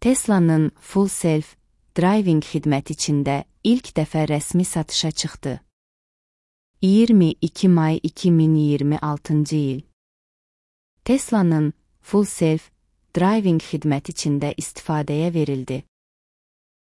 Tesla'nın Full Self Driving xidməti Çində ilk dəfə rəsmi satışa çıxdı. 22 may 2026 il. Tesla'nın Full Self Driving xidməti Çində istifadəyə verildi.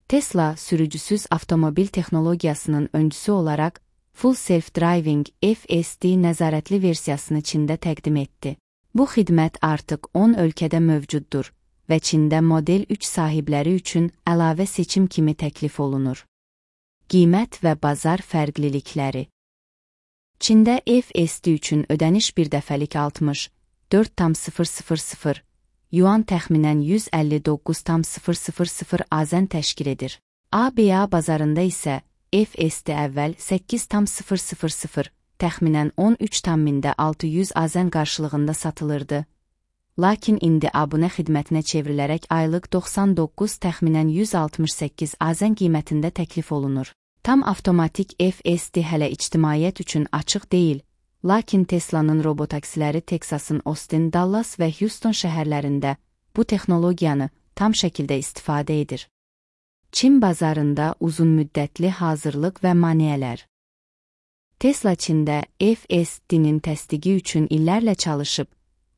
Tesla, sürücüsüz avtomobil texnologiyasının öncüsü olaraq Full Self Driving FSD nəzarətli versiyasını Çində təqdim etdi. Bu xidmət artıq 10 ölkədə mövcuddur və Çində Model 3 sahibləri üçün əlavə seçim kimi təklif olunur. Qiymət və bazar fərqlilikləri. Çində FSD üçün ödəniş bir dəfəlik 64,000 yuan təxminən 159,000 AZN təşkil edir. ABA bazarında isə FSD əvvəl 8,000 təxminən 13,600 AZN qarşılığında satılırdı. Lakin indi abunə xidmətinə çevrilərək aylıq 99 təxminən 168 AZN qiymətində təklif olunur. Tam avtomatik FSD hələ ictimaiyyət üçün açıq deyil, lakin Tesla'nın robotaksiləri Teksasın Austin, Dallas və Houston şəhərlərində bu texnologiyanı tam şəkildə istifadə edir. Çin bazarında uzunmüddətli hazırlıq və maneələr. Tesla Çində FSD-nin təsdiqi üçün illərlə çalışıb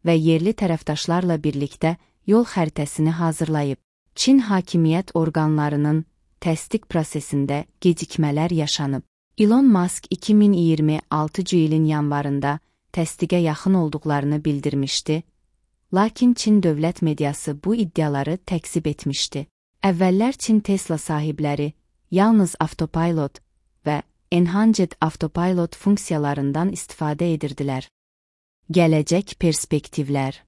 və yerli tərəfdaşlarla birlikdə yol xəritəsini hazırlayıb. Çin hakimiyyət orqanlarının təsdiq prosesində gecikmələr yaşanıb. Elon Musk 2026 ilin yanvarında təsdiqə yaxın olduqlarını bildirmişdi, lakin Çin dövlət mediası bu iddiaları təkzib etmişdi. Əvvəllər Çin Tesla sahibləri yalnız Autopilot və Enhanced Autopilot funksiyalarından istifadə edirdilər. Gələcək perspektivlər.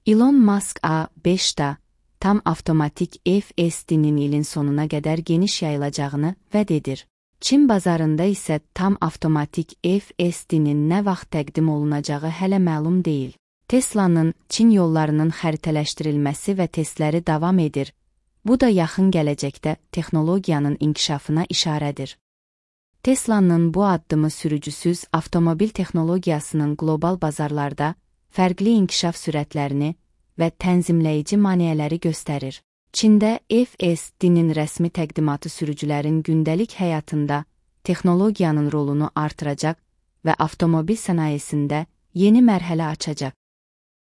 Elon Musk A5-da tam avtomatik FSD-nin ilin sonuna qədər geniş yayılacağını vəd edir. Çin bazarında isə tam avtomatik FSD-nin nə vaxt təqdim olunacağı hələ məlum deyil. Tesla'nın Çin yollarının xəritələşdirilməsi və testləri davam edir. Bu da yaxın gələcəkdə texnologiyanın inkişafına işarədir. Tesla'nın bu addımı sürücüsüz avtomobil texnologiyasının qlobal bazarlarda fərqli inkişaf sürətlərini və tənzimləyici maneələri göstərir. Çində FSD-nin rəsmi təqdimatı sürücülərin gündəlik həyatında texnologiyanın rolunu artıracaq və avtomobil sənayesində yeni mərhələ açacaq.